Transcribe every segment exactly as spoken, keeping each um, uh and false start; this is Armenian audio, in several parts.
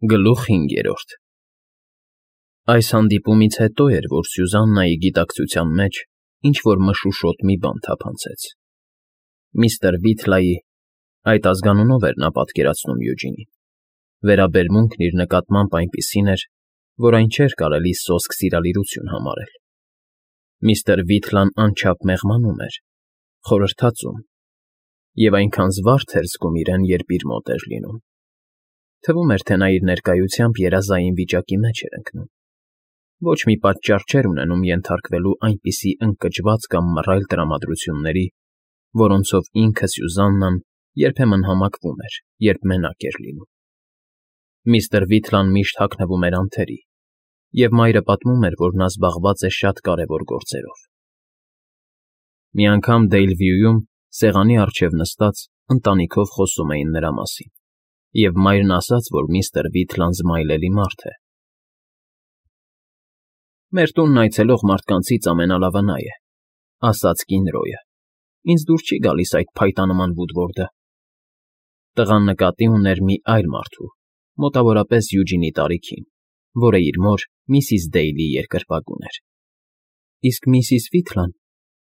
Գլուխ հինգերորդ Այս հանդիպումից հետո էր, որ Սյուզաննայի գիտակցության մեջ ինչ֊որ մշուշոտ մի բան թափանցեց. միստր Վիթլայի (այդ ազգանունով էր նա պատկերացնում Յուջինին) վերաբերմունքն իր նկատմամբ այնպիսին էր, որ այն չէր կարելի սոսկ սիրալիրություն համարել. միստր Վիթլան անչափ մեղմանում էր, խորհրդածում, և այնքան զվարթ էր զգում իրեն, երբ իր մոտ էր լինում. թվում էր, թե նա իր ներկայությամբ երազային վիճակի մեջ էր ընկնում, ոչ մի պատճառ չէր ունենում ենթարկվելու այնպիսի ընկճված կամ մռայլ տրամադրությունների, որոնցով ինքը Սյուզաննան երբեմն համակվում էր, երբ մենակ էր լինում. միստր Վիթլան միշտ հագնվում էր անթերի, և մայրը պատմում էր, որ նա զբաղված է շատ կարևոր գործերով. Մի անգամ Դեյլվյուում, սեղանի առջև նստած, ընտանիքով խոսում էին նրա մասին, և մայրն ասաց, որ միստր Վիթլան զմայլելի մարդ է։ «Մեր տունն այցելող մարդկանցից ամենալավը նա է,֊ ասաց կին Ռոյը,֊ ինձ դուր չի գալիս այդ փայտանման Վուդվորդը»։ Տղան նկատի ուներ մի այլ մարդու, մոտավորապես Յուջինի տարիքին, որը իր մոր՝ միսիս Դեյլի երկրպագուն էր։ «Իսկ միսիս Վիթլան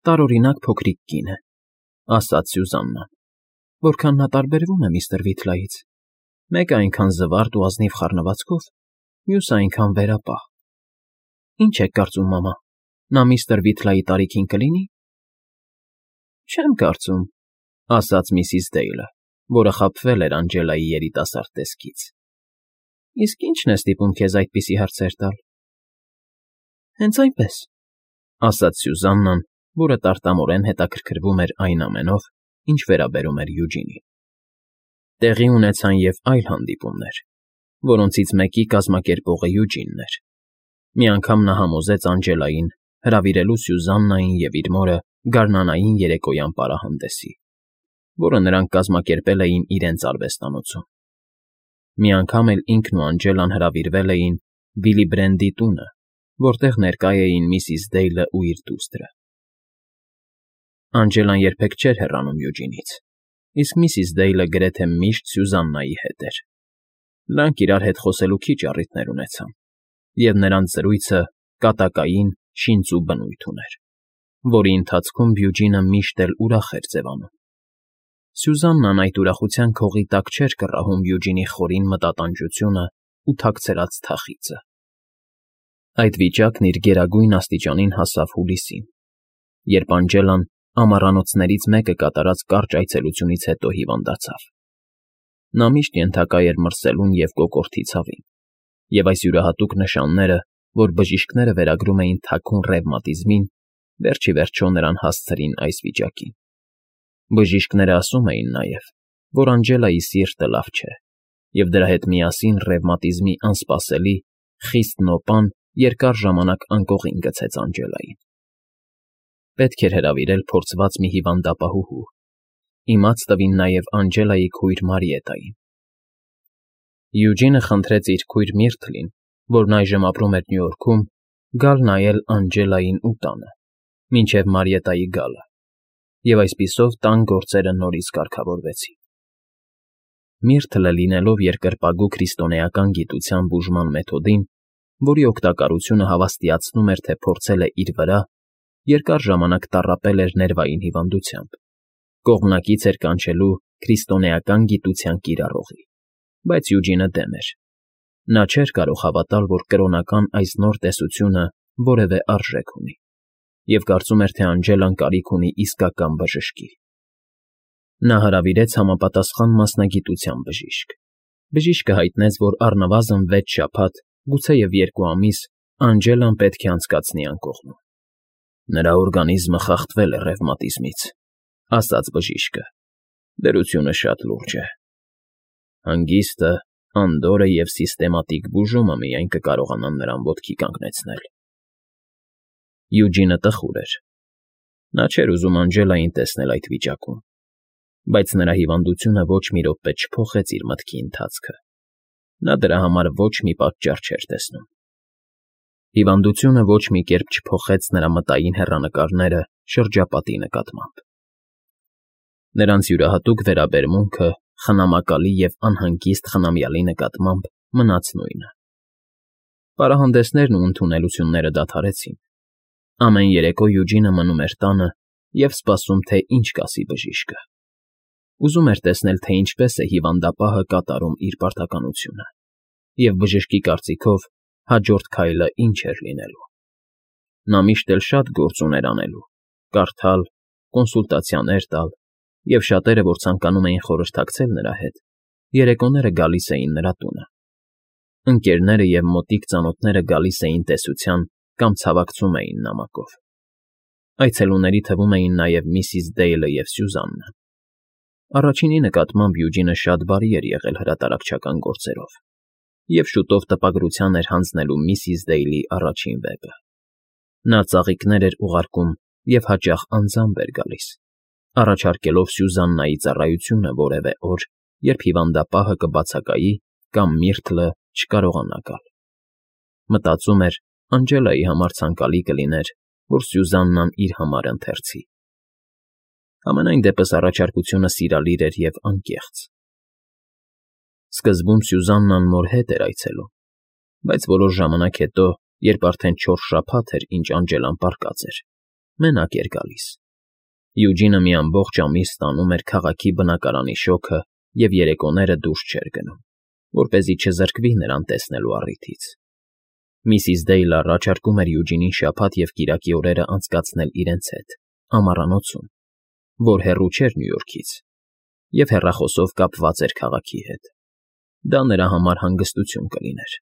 տարօրինակ փոքրիկ կին է,֊ ասաց Սյուզաննան,֊ որքան նա տարբերվում է միստր Վիթլայից. մեկը այնքան զվարթ ու ազնիվ խառնվածքով, մյուսը այնքան վերապահ։ Ինչ եք կարծում, մամա, նա միստր Վիթլայի տարիքին կլինի՞։ «Չեմ կարծում,֊ ասաց միսիս Դեյլը, որը խաբվել էր Անգելայի երիտասարդ տեսքից։ Իսկ ի՞նչն է ստիպում քեզ այդպիսի հարցեր տալ»։ «Հենց այնպես,֊ ասաց Սյուզաննան, որը տարտամորեն հետաքրքրվում էր այն ամենով, ինչ վերաբերում էր Յուջինին։ Տեղի ունեցան և այլ հանդիպումներ, որոնցից մեկի կազմակերպողը Յուջինն էր։ Մի անգամ նա համոզեց Անգելային հրավիրելու Սյուզաննային և իր մորը գարնանային երեկոյան պարահանդեսի, որը նրանք կազմակերպել էին իրենց արվեստանոցում։ Մի անգամ էլ ինքն ու Անգելան հրավիրվել էին Վիլիբրենդի տունը, որտեղ ներկա էին միսիս Դեյլը ու իր դուստրը։ Անգելան երբեք չէր հեռանում Յուջինից, իսկ միսիս Դեյլը գրեթե միշտ Սյուզաննայի հետ էր։ Նրանք իրար հետ խոսելու քիչ առիթներ ունեցան, և նրանց զրույցը կատակային, շինծու բնույթ ուներ, որի ընթացքում Յուջինը միշտ էլ ուրախ էր ձևանում։ Սյուզաննան այդ ուրախության քողի տակ չէր կռահում Յուջինի խորին մտատանջությունն ու թաքցրած թախիծը։ Այդ վիճակն իր գերագույն աստիճանին հասավ հուլիսին, երբ Անգելան ամառանոցներից մեկը կատարած կարճ այցելությունից հետո հիվանդացավ։ Նա միշտ ենթակա էր մրսելուն և կոկորդի ցավին, և այս յուրահատուկ նշանները, որ բժիշկները վերագրում էին թաքուն ռևմատիզմին, վերջ ի վերջո նրան հասցրին այս վիճակին։ Բժիշկները ասում էին նաև, որ Անգելայի սիրտը լավ չէ, և դրա հետ միասին ռևմատիզմի անսպասելի, խիստ նոպան երկար ժամանակ անկողին գցեց Անգելային։ Պետք էր հրավիրել փորձված մի հիվանդապահուհու, իմաց տվին նաև Անգելայի քույր Մարիետային։ Յուջինը խնդրեց իր քույր Միրթլին, որն այժմ ապրում էր Նյու Յորքում, գալ նայել Անգելային ու տանը, մինչև Մարիետայի գալը, և այսպիսով տան գործերը նորից կարգավորվեցին։ Միրթլը լինելով երկրպագու քրիստոնեական գիտության բուժման մեթոդին, որի օգտակարությունը հավաստիացնում էր, թե փորձել է իր վրա, երկար ժամանակ տառապել էր ներվային հիվանդությամբ, կողմնակից էր կանչելու քրիստոնեական գիտության կիրառողի, բայց Յուջինը դեմ էր։ Նա չէր կարող հավատալ, որ կրոնական այս նոր տեսությունը որևէ արժեք ունի, և կարծում էր, թե Անգելան կարիք ունի իսկական բժշկի։ Նա հրավիրեց համապատասխան մասնագիտության բժիշկ։ Բժիշկը հայտնեց, որ առնվազն վեց շաբաթ, գուցեև երկու ամիս Անգելան պետք է անցկացնի անկողնում։ Նրա օրգանիզմը խախտվել է ռևմատիզմից, ասաց բժիշկը։ Դրությունը շատ լուրջ է։ Հանգիստը, անդորրը և սիստեմատիկ բուժումը միայն կկարողանան նրան ոտքի կանգնեցնել։ Յուջինը տխուր էր։ Նա չէր ուզում Անգելային տեսնել այդ վիճակում, բայց նրա հիվանդությունը ոչ մի րոպե չփոխեց իր մտքի ընթացքը։ Նա դրա համար ոչ մի պատճառ չէր տեսնում։ Հիվանդությունը ոչ մի կերպ չփոխեց նրա մտային հեռանկարները շրջապատի նկատմամբ։ Նրանց յուրահատուկ վերաբերմունքը խնամակալի և անհանգիստ խնամյալի նկատմամբ մնաց նույնը։ Պարահանդեսներն ու ընդունելությունները դադարեցին։ Ամեն երեկո Յուջինը մնում էր տանը և սպասում, թե ինչ կասի բժիշկը։ Ուզում էր տեսնել, թե ինչպես է հիվանդապահը կատարում իր պարտականությունը, և բժշկի կարծիքով հաջորդ քայլը ինչ էր լինելու։ Նա միշտ էլ շատ գործ ուներ անելու՝ կարդալ, կոնսուլտացիաներ տալ, և շատերը, որ ցանկանում էին խորհրդակցել նրա հետ, երեկոները գալիս էին նրա տունը։ Ընկերները և մոտիկ ծանոթները գալիս էին տեսության կամ ցավակցում էին նամակով։ Այցելուների թվում էին նաև միսիս Դեյլը և Սյուզաննան։ Առաջինի նկատմամբ Յուջինը շատ բարի էր եղել հրատարակչական գործերով և շուտով տպագրության էր հանձնելու միսիս Դեյլի առաջին վեպը։ Նա ծաղիկներ էր ուղարկում և հաճախ անձամբ էր գալիս, առաջարկելով Սյուզաննայի ծառայությունը որևէ օր, երբ հիվանդապահը կբացակայի կամ Միրթլը չկարողանա գալ։ Մտածում էր, Անջելայի համար ցանկալի կլիներ, որ Սյուզաննան իր համար ընթերցի։ Համենայն դեպս առաջարկությունը սիրալիր էր և անկեղծ։ Սկզբում Սյուզաննան մոր հետ էր այցելում, բայց որոշ ժամանակ հետո, երբ արդեն չորս շաբաթ էր, ինչ Անջելան պառկած էր, մենակ էր գալիս։ Յուջինը մի ամբողջ ամիս ստանում էր քաղաքի բնակարանի շոգը և երեկոները դուրս չէր գնում, որպեսզի չզրկվի նրան տեսնելու առիթից։ Միսիս Դեյլը առաջարկում էր Յուջինին շաբաթ և կիրակի օրերը անցկացնել իրենց հետ, ամառանոցում, որ հեռու չէր Նյու Յորքից, և հեռախոսով կապված էր քաղաքի հետ։ Դա նրա համար հանգստություն կլիներ։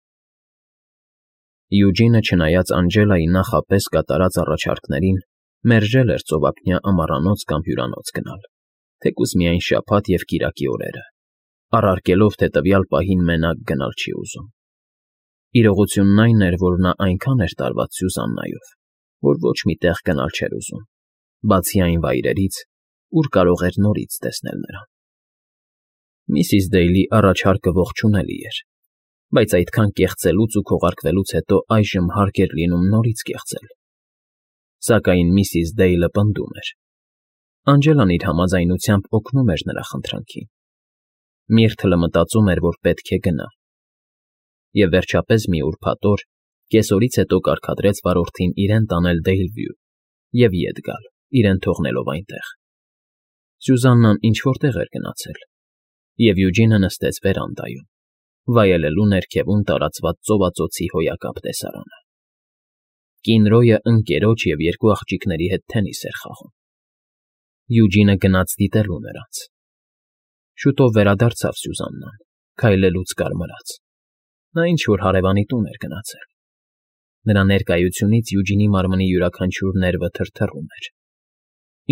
Յուջինը, չնայած Անջելայի նախապես կատարած առաջարկներին, մերժել էր ծովափնյա ամառանոց կամ հյուրանոց գնալ, թեկուզ միայն շաբաթ և կիրակի օրերը, առարկելով, թե տվյալ պահին մենակ գնալ չի ուզում։ Իրողությունն այն էր, որ նա այնքան էր տարված Սյուզաննայով, որ ոչ մի տեղ գնալ չէր ուզում, բացի այն վայրերից, ուր կարող էր նորից տեսնել նրան։ Միսիս Դեյլի առաջարկը ողջունելի էր, բայց այդքան կեղծելուց ու քողարկվելուց հետո այժմ հարկ էր լինում նորից կեղծել։ Սակայն միսիս Դեյլը պնդում էր։ Անջելան իր համաձայնությամբ օգնում էր նրա խնդրանքին։ Միրթլը մտածում էր, որ պետք է գնա։ Եվ վերջապես մի ուրբաթ օր, կեսօրից հետո կարգադրեց վարորդին իրեն տանել Դեյլվյու և ետ գալ, իրեն թողնելով այնտեղ։ Սյուզաննան ինչ֊որ տեղ էր գնացել, և Յուջինը նստեց վերանդայում, վայելելու ներքևում տարածված ծովածոցի հոյակապ տեսարանը։ Կինրոյը ընկերոջ և երկու աղջիկների հետ թենիս էր խաղում։ Յուջինը գնաց դիտելու նրանց։ Շուտով վերադարձավ Սյուզաննան, քայլելուց կարմրած։ Նա ինչ֊որ հարևանի տուն էր գնացել։ Նրա ներկայությունից Յուջինի մարմնի յուրաքանչյուր ներվը թրթռում էր։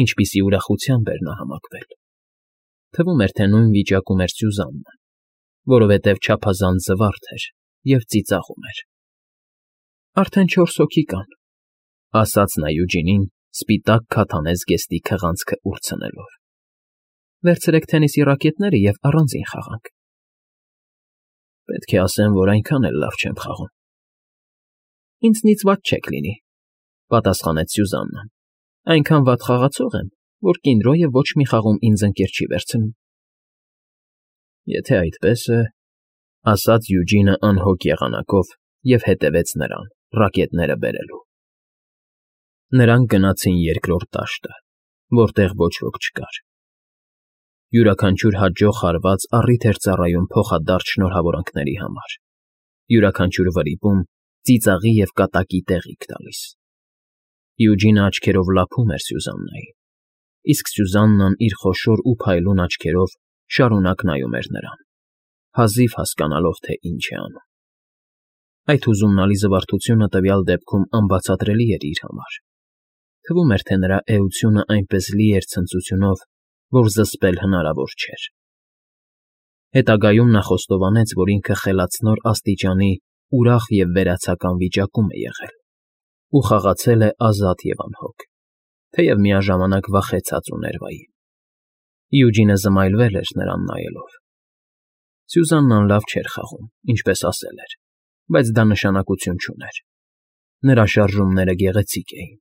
Ինչպիսի ուրախությամբ էր նա համակվել։ Թվում էր, թե նույն վիճակում էր Սյուզաննան, որովհետև չափազանց զվարթ էր և ծիծաղում էր։ «Արդեն չորս հոգի կան», ֊ ասաց նա Յուջինին, սպիտակ քաթանե զգեստի քղանցքը ուրցնելով։ «Վերցրեք թենիսի ռակետները և առանձին խաղանք»։ «Պետք է ասեմ, որ այնքան էլ լավ չեմ խաղում»։ «Ինձնից վատ չեք լինի», ֊ պատասխանեց Սյուզաննան։ «Այնքան վատ խաղացող եմ, որ Կինրոյը ոչ մի խաղում ինձ ընկեր չի վերցնում»։ «Եթե այդպես է», ֊ ասաց Յուջինը անհոգ եղանակով և հետևեց նրան, ռակետները բերելու։ Նրանք գնացին երկրորդ դաշտը, որտեղ ոչ ոք չկար։ Յուրաքանչյուր հաջող հարված առիթ էր ծառայում փոխադարձ շնորհավորանքների համար, յուրաքանչյուր վրիպում ծիծաղի և կատակի տեղիք տալիս։ Յուջինը աչքերով լափում էր Սյուզաննային, իսկ Սյուզաննան իր խոշոր ու փայլուն աչքերով շարունակ նայում էր նրան, հազիվ հասկանալով, թե ինչ է անում։ Այդ հուզումնալի զվարթությունը տվյալ դեպքում անբացատրելի էր իր համար։ Թվում էր, թե նրա էությունը այնպես լի էր ցնծությունով, որ զսպել հնարավոր չէր։ Հետագայում նա խոստովանեց, որ ինքը խելացնոր աստիճանի ուրախ և վերացական վիճակում է եղել ու խաղացել է ազատ և անհոգ, թեև միաժամանակ վախեցած ու ներվային։ Յուջինը զմայլվել էր նրան նայելով։ Սյուզաննան լավ չէր խաղում, ինչպես ասել էր, բայց դա նշանակություն չուներ։ Նրա շարժումները գեղեցիկ էին։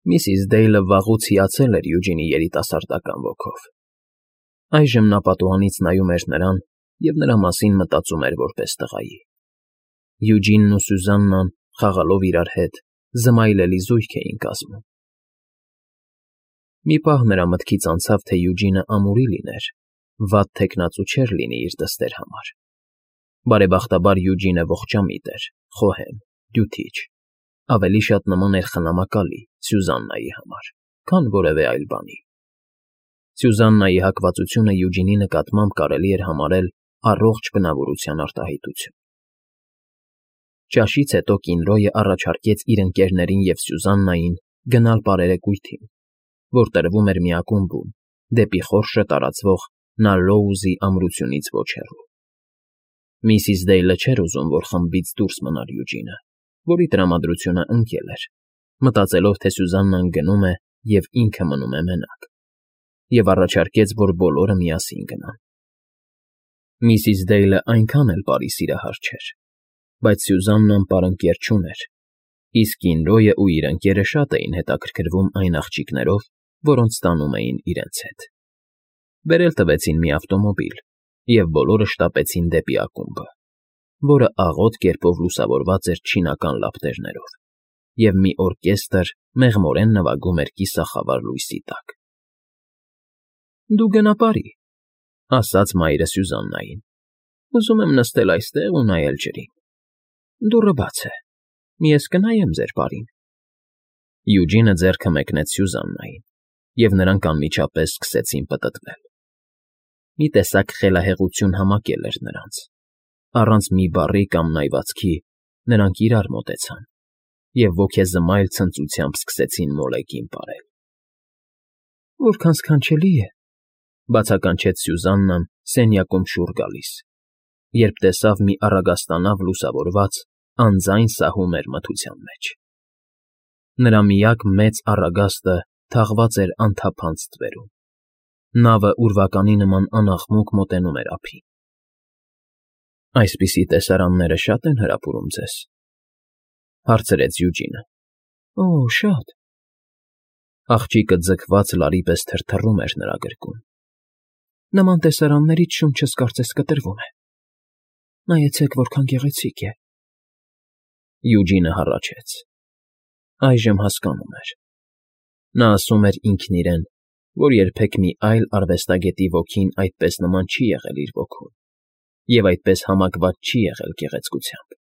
Միսիս Դեյլը վաղուց հիացել էր Յուջինի երիտասարդական ոգով։ Այժմ նա պատուհանից նայում էր նրան և նրա մասին մտածում էր որպես տղայի։ Յուջինն ու Սյուզաննան, խաղալով իրար հետ, զմայլելի զույգ էին կազմում։ Մի պահ նրա մտքից անցավ, թե Յուջինը ամուրի լիներ, վատ թեկնածու չէր լինի իր դստեր համար։ Բարեբախտաբար Յուջինը ողջամիտ էր, խոհեմ, դյութիչ, ավելի շատ նման էր խնամակալի Սյուզաննայի համար, քան որևէ այլ բանի։ Սյուզաննայի հակվածությունը Յուջինի նկատմամբ կարելի էր համարել առողջ բնավորության արտահայտություն։ Ճաշից հետո Կինրոյը առաջարկեց իր ընկերներին և Սյուզաննային գնալ պարերեկույթին, որ տրվում էր մի ակումբում, դեպի խորշը տարածվող Նալլոուզի ամրությունից ոչ հեռու։ Միսիս Դեյլը չէր ուզում, որ խմբից դուրս մնար Յուջինը, որի տրամադրությունը ընկել էր, մտածելով, թե Սյուզաննան գնում է և ինքը մնում է մենակ, և առաջարկեց, որ բոլորը միասին գնան։ Միսիս Դեյլը այնքան էլ բարի սիրահար չէր, բայց Սյուզաննան պարընկեր չուներ, իսկ Կինրոյը ու իր ընկերը շատ էին հետաքրքրվում այն աղջիկներով, որոնց տանում էին իրենց հետ։ Բերել տվեցին մի ավտոմոբիլ, և բոլորը շտապեցին դեպի ակումբը, որը աղոտ կերպով լուսավորված էր չինական լապտերներով, և մի օրկեստր մեղմորեն նվագում էր կիսախավար լույսի տակ։ ֊ Դու գնա պարի, ֊ ասաց մայրը Սյուզաննային։ ֊ Ուզում եմ նստել այստեղ ու նայել ջրին։ Դուռը բաց է, մի ես կնայեմ ձեր պարին։ Յուջինը ձեռքը մեկնեց Սյուզաննային, և նրանք անմիջապես սկսեցին պտտվել։ Մի տեսակ խելահեղություն համակել էր նրանց։ Առանց մի բառի կամ նայվածքի նրանք իրար մոտեցան և ոգեզմայլ ցնծությամբ սկսեցին մոլեգին պարել։ ֊ Որքան սքանչելի է, ֊ բացականչեց Սյուզաննան սենյակում շուռ գալիս, երբ տեսավ մի առագաստանավ լուսավորված, անձայն սահում էր մթության մեջ։ Նրա միակ մեծ առագաստը թաղված էր անթափանց ստվերում։ Նավը ուրվականի նման անաղմուկ մոտենում էր ափին։ ֊ Այսպիսի տեսարանները շա՞տ են հրապուրում ձեզ, ֊ հարցրեց Յուջինը։ ֊ Օ, շատ։ Աղջիկը ձգված լարի պես թրթռում էր նրա գրկում։ Նման տեսարաններից շունչս կարծես կտրվում է։ Նայեցեք, որքան գեղեցիկ է։ Յուջինը հառաչեց։ Այժմ հասկանում էր։ Նա ասում էր ինքն իրեն, որ երբեք մի այլ արվեստագետի ոգին այդպես նման չի եղել իր ոգուն և այդպես համակված չի եղել գեղեցկությամբ։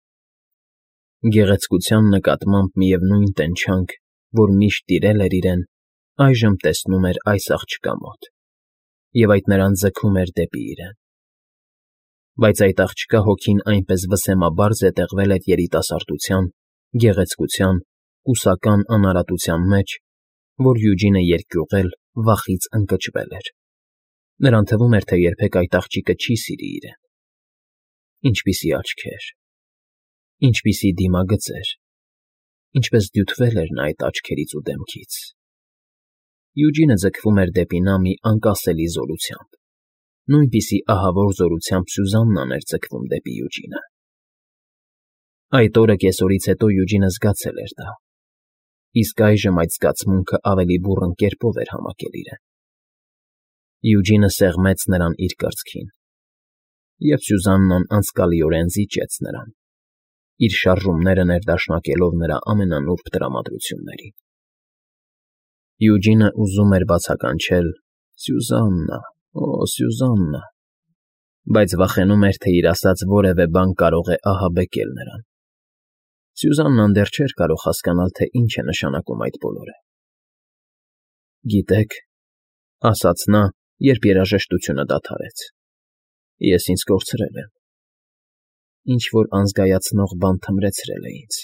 Գեղեցկության նկատմամբ միևնույն տենչանք, որ միշտ տիրել էր իրեն, այժմ տեսնում էր այս աղջկա մոտ, և այդ նրան ձգում էր դեպի իրեն։ Բայց այդ աղջկա հոգին այնպես վսեմաբար զետեղվել էր երիտասարդության, գեղեցկության, կուսական անարատության մեջ, որ Յուջինը երկյուղել, վախից ընկճվել էր։ Նրան թվում էր, թե երբեք այդ աղջիկը չի սիրի իրեն։ Ինչպիսի աչքեր, ինչպիսի դիմագծեր, ինչպես դյութվել էր նա այդ աչքերից ու դեմքից։ Յուջինը ձգվում էր դեպի նա մի անկասելի զորությամբ, նույնպիսի ահավոր զորությամբ Սյուզաննան էր ձգվում դեպի Յուջինը։ Այդ օրը կեսօրից հետո Յուջինը զգացել էր դա, իսկ այժմ այդ զգացմունքը ավելի բուռն կերպով էր համակել իրեն։ Յուջինը սեղմեց նրան իր կրծքին, և Սյուզաննան անցկալիորեն զիջեց նրան, իր շարժումները ներդաշնակելով նրա ամենանուրբ տրամադրություններին։ Յուջինը ուզում էր բացականչել. «Սյուզաննա, օ, Սյուզաննա», բայց վախենում էր, թե իր ասած որևէ բան կարող է ահաբեկել նրան։ Սյուզաննան դեռ չէր կարող հասկանալ, թե ինչ է նշանակում այդ բոլորը։ «Գիտեք», ֊ ասաց նա, երբ երաժշտությունը դադարեց, ֊ ես ինձ կորցրել եմ։ Ինչ֊որ անզգայացնող բան թմրեցրել է ինձ։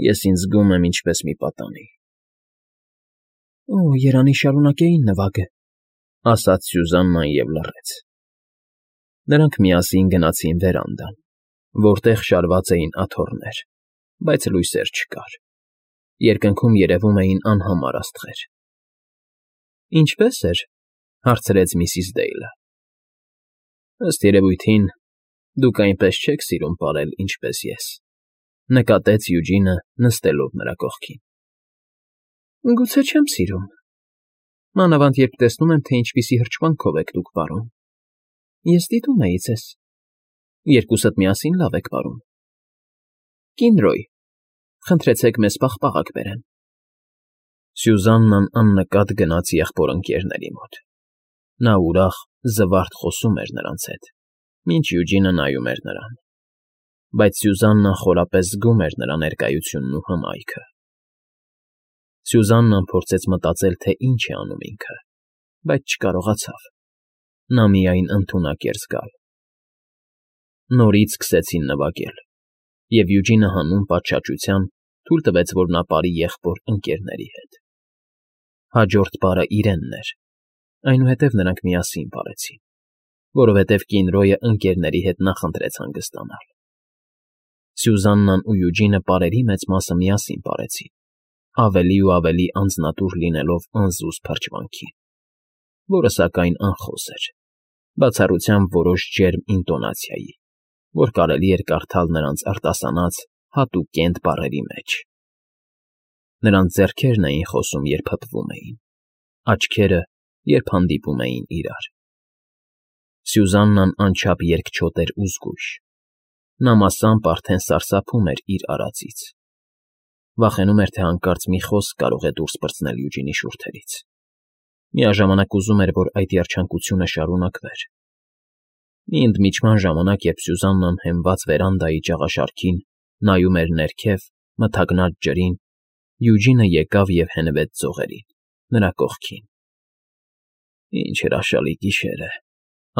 Ես ինձ զգում եմ ինչպես մի պատանի։ ֊ Օ, երանի շարունակեին նվագը, ֊ ասաց Սյուզաննան և լռեց։ Նրանք միասին գնացին վերանդան, որտեղ շարված էին աթոռներ, բայց լույսեր չկար։ Երկնքում երևում էին անհամար աստղեր։ ֊ Ինչպե՞ս էր, ֊ հարցրեց միսիս Դեյլը։ ֊ Ըստ երևույթին, դուք այնպես չեք սիրում պարել, ինչպես ես, ֊ նկատեց Յուջինը, նստելով նրա կողքին։ ֊ Գուցե չեմ սիրում, մանավանդ երբ տեսնում եմ, թե ինչպիսի հրճվանքով եք դուք վարում։ Ես դիտում էի ձեզ։ Երկուսդ միասին լավ եք պարում։ Կինրոյ, խնդրեցեք մեզ պաղպաղակ բերեն։ Սյուզաննան աննկատ գնաց եղբոր ընկերների մոտ։ Նա ուրախ, զվարթ խոսում էր նրանց հետ, մինչ Յուջինը նայում էր նրան։ Բայց Սյուզաննան խորապես զգում էր նրա ներկայությունն ու հմայքը։ Սյուզաննան փորձեց մտածել, թե ինչ է անում ինքը, բայց չկարողացավ։ Նա միայն ընդունակ էր զգալ։ Նորից սկսեցին նվագել, և Յուջինը հանուն պատշաճության թույլ տվեց, որ նա պարի եղբոր ընկերների հետ։ Հաջորդ պարը իրենն էր, այնուհետև նրանք միասին պարեցին, որովհետև Կինրոյը ընկերների հետ նախընտրեց հանգստանալ։ Սյուզաննան ու Յուջինը պարերի մեծ մասը միասին պարեցին, ավելի ու ավելի անձնատուր լինելով անզուզ փրչմունքին, որը սակայն անխոս էր, բացառությամբ որոշ ջերմ ինտոնացիայի, որ կարելի էր կարդալ նրանց արտասանած հատուկ կենտ բառերի մեջ։ Նրանց ձեռքերն էին խոսում, երբ հպվում էին, աչքերը, երբ հանդիպում էին իրար։ Սյուզաննան անչափ երկչոտ էր ու զգույշ։ Նա մասամբ արդեն սարսափում էր իր արածից։ Վախենում էր, թե հանկարծ մի խոսք կարող է դուրս պրծնել Յուջինի շուրթերից։ Միաժամանակ ուզում էր, որ այդ երջանկությունը շարունակվեր։ Մի ընդմիջման ժամանակ, երբ Սյուզաննան հենված վերանդայի ճաղաշարքին նայում էր ներքև, մթագնած ջրին, Յուջինը եկավ և հենվեց ձողերին, նրա կողքին։ «Ինչ հրաշալի գիշեր է»,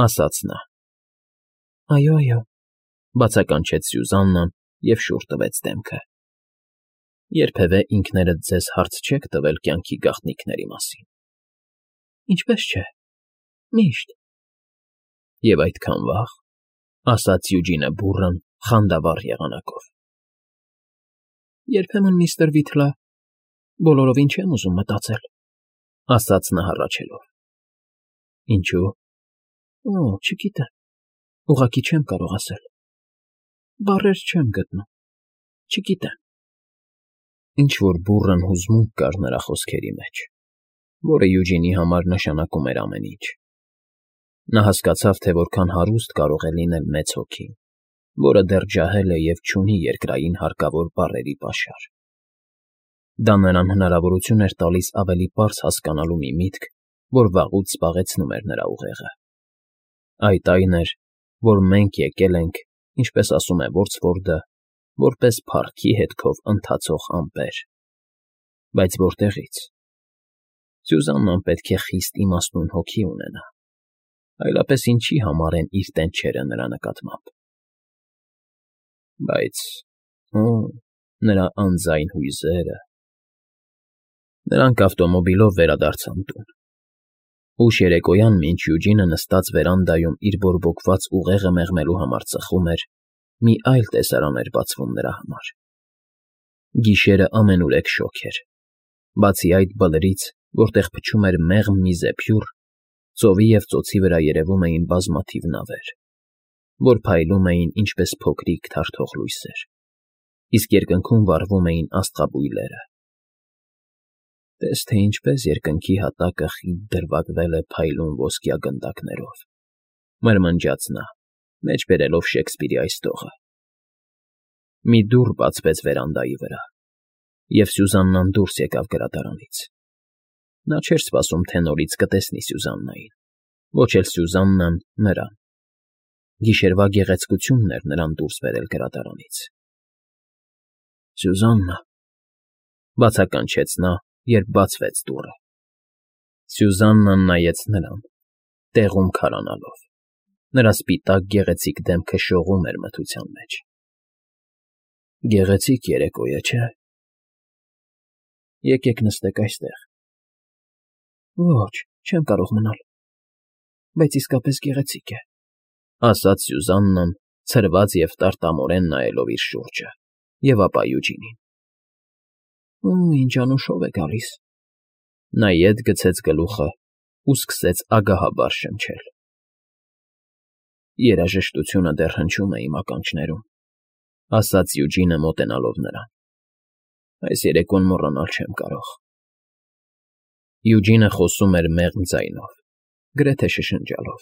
ասաց նա։ «Այո, այո», բացականչեց Սյուզաննան և շուռ տվեց դեմքը։ Երբևէ ինքներդ ձեզ հարց չե՞ք տվել կյանքի գաղտնիքների մասին։ Ինչպես չէ, միշտ։ Եվ այդքան վաղ, ասաց Յուջինը բուռն, խանդավառ եղանակով։ Երբեմն, միստր Վիթլը, բոլորովին չեմ ուզում մտածել, ասաց նա հառաչելով։ Ինչո՞ւ։ Օ, չգիտեմ, ուղղակի չեմ կարող ասել։ Բառեր չեմ գտնում, չգիտեմ։ Ինչ֊որ բուռն հուզմունք կար նրա խոսքերի մեջ, որը Յուջինի համար նշանակում էր ամեն ինչ։ Նա հասկացավ, թե որքան հարուստ կարող է լինել մեծ հոգին, որը դեռ ջահել է և չունի երկրային հարկավոր բառերի պաշար։ Դա նրան հնարավորություն էր տալիս ավելի պարզ հասկանալու մի միտք, որ վաղուց զբաղեցնում էր նրա ուղեղը։ Այդ այն էր, որ մենք եկել ենք, ինչպես ասում է Որցվորդը, որպես փառքի հետքով ընթացող ամպեր։ Բայց որտեղից։ Սյուզաննան պետք է խիստ իմաստուն հոգի ունենա, այլապես ինչի համար են իր տենչերը նրա նկատմամբ։ Բայց, օ, նրա անձայն հույզերը… Նրանք ավտոմոբիլով վերադարձան տուն։ Ուշ երեկոյան, մինչ Յուջինը նստած վերանդայում իր բորբոքված ուղեղը մեղմելու համար ծխում էր, մի այլ տեսարան էր բացվում նրա համար։ Գիշերը ամենուրեք շոգ էր։ Բացի այդ բլրից, որտեղ փչում էր մեղմ մի զեփյուռ, ծովի և ծոցի վրա երևում էին բազմաթիվ նավեր, որ փայլում էին ինչպես փոքրիկ թարթող լույսեր, իսկ երկնքում վառվում էին աստղաբույլերը։ Տես թե ինչպես երկնքի հատակը խիտ դրվագվել է փայլուն ոսկյա գնդակներով, մրմնջաց նա, մեջ բերելով Շեքսպիրի այս տողը։ Մի դուռ բացվեց վերանդայի վրա, և Սյուզաննան դուրս եկավ գրադարանից։ Նա չէր սպասում, թե նորից կտեսնի Սյուզաննային, ոչ էլ Սյուզաննան նրան։ Գիշերվա գեղեցկությունն էր նրան դուրս բերել գրադարանից։ Սյուզաննա, բացականչեց նա, երբ բացվեց դուռը։ Սյուզաննան նայեց նրան, տեղում քարանալով։ Նրա սպիտակ գեղեցիկ դեմքը շողում էր մթության մեջ։ Գեղեցիկ երեկո է, չէ՞։ Եկեք նստեք այստեղ։ Ոչ, չեմ կարող մնալ, բայց իսկապես գեղեցիկ է, ասաց Սյուզաննան, ցրված և տարտամորեն նայելով իր շուրջը, և ապա Յուջինին։ Ու ինչ անուշով է գալիս։ Նա ետ գցեց գլուխը ու սկսեց ագահաբար շնչել։ Երաժշտությունը դեռ հնչում է իմ ականջներում, ասաց Յուջինը մոտենալով նրան։ Այս երեկոն մոռանալ չեմ կարող։ Յուջինը խոսում էր մեղմ ձայնով, գրեթե շշնջալով։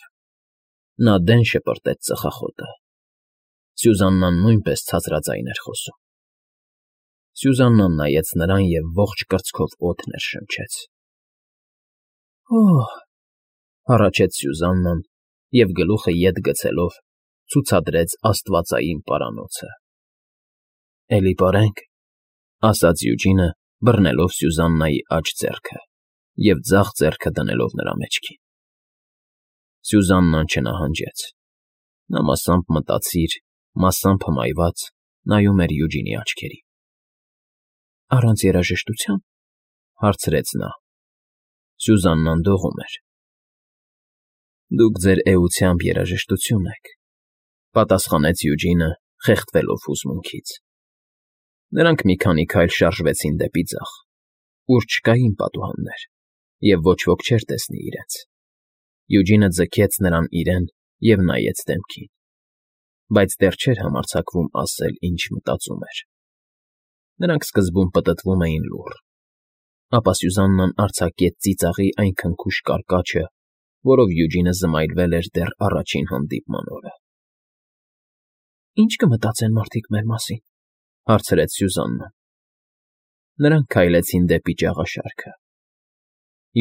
Նա դեն շպրտեց ծխախոտը։ Սյուզաննան նույնպես ցածրաձայն էր խոսում։ Սյուզաննան նայեց նրան և ողջ կրծքով օդ ներշնչեց։ «Օհ,֊ հառաչեց Սյուզաննան և գլուխը ետ գցելով ցուցադրեց աստվածային պարանոցը։ «Էլի պարենք,֊ ասաց Յուջինը, բռնելով Սյուզաննայի աջ ձեռքը և ձախ ձեռքը դնելով նրա մեջքին։ Սյուզաննան չնահանջեց։ Նա մասամբ մտածիր, մասամբ հմայված նայում էր Յուջինի աչքերին։ «Առանց երաժշտության,֊ հարցրեց նա։ Սյուզաննան դողում էր։ «Դուք ձեր էությամբ երաժշտություն եք,֊ պատասխանեց Յուջինը, խեղդվելով հուզմունքից։ Նրանք մի քանի քայլ շարժվեցին դեպի ձախ, ուր չկային պատուհաններ, և ոչ ոք չէր տեսնի իրենց։ Յուջինը ձգեց նրան իրեն և նայեց դեմքին, բայց դեռ չէր համարձակվում ասել, ինչ մտածում էր։ Նրանք սկզբում պտտվում էին լուռ, ապա Սյուզաննան արձակեց ծիծաղի այն քնքուշ կարկաչը, որով Յուջինը զմայլվել էր դեռ առաջին հանդիպման օրը։ «Ի՞նչ կմտածեն մարդիկ մեր մասին,֊ հարցրեց Սյուզաննան։ Նրանք քայլեցին դեպի ճաղաշարքը։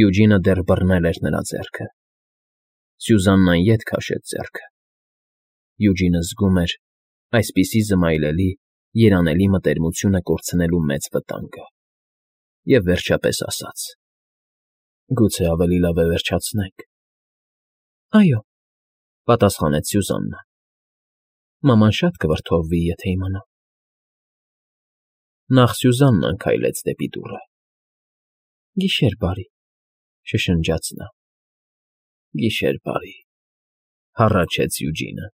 Յուջինը դեռ բռնել էր նրա ձեռքը։ Սյուզաննան ետ քաշեց ձեռքը։ Յուջինը զգում էր այսպիսի զմայլելի, երանելի մտերմությունը կորցնելու մեծ վտանգը և վերջապես ասաց. «Գուցե ավելի լավ է վերջացնենք»։ «Այո,֊ պատասխանեց Սյուզաննան։ Մաման շատ կվրդովվի, եթե իմանա»։ Նախ Սյուզաննան քայլեց դեպի դուռը։ «Գիշեր բարի,֊ շշնջաց նա։ «Գիշեր բարի,֊ հառաչեց Յուջինը։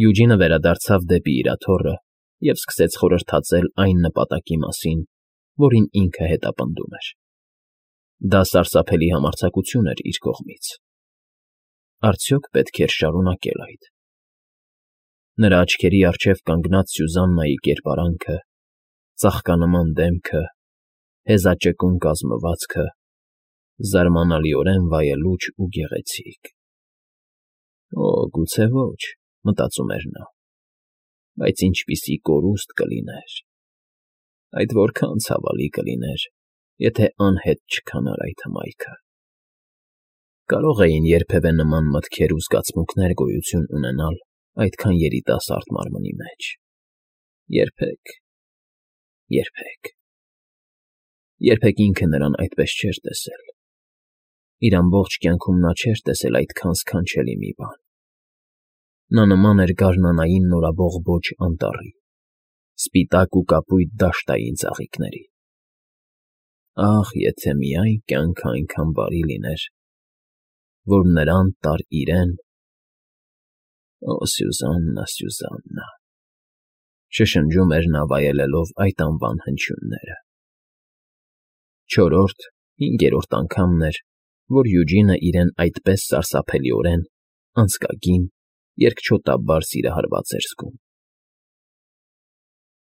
Յուջինը վերադարձավ դեպի իր աթոռը և սկսեց խորհրդածել այն նպատակի մասին, որին ինքը հետապնդում էր։ Դա սարսափելի համարձակություն էր իր կողմից։ Արդյոք պետք էր շարունակել այդ։ Նրա աչքերի առջև կանգնած Սյուզաննայի կերպարանքը, ծաղկանման դեմքը, հեզաճկուն կազմվածքը, զարմանալիորեն վայելուչ ու գեղեցիկ։ «Օ, գուցե ոչ,֊ մտածում էր նա,֊ բայց ինչպիսի կորուստ կլիներ… Այդ որքան ցավալի կլիներ, եթե անհետ չքանար այդ հմայքը… Կարո՞ղ էին երբևէ նման մտքեր ու զգացմունքներ գոյություն ունենալ այդքան երիտասարդ մարմնի մեջ… Երբեք… երբեք… Երբեք ինքը նրան այդպես չէր տեսել… Իր ամբողջ կյանքում նա չէր տեսել այդքան սքանչելի մի բան… Նա նման էր գարնանային նորաբողբոջ անտառի, սպիտակ ու կապույտ դաշտային ծաղիկների… Ահ, եթե միայն կյանքը այնքան բարի լիներ, որ նրան տար իրեն… Օ Սյուզաննա, Սյուզաննա…֊ շշնջում էր նա վայելելով այդ անվան հնչյունները։ Չորրորդ, հինգերորդ անգամն էր, որ Յուջինը իրեն այդպես սարսափելիորեն, անձկագին, երկչոտաբար սիրահարված էր զգում։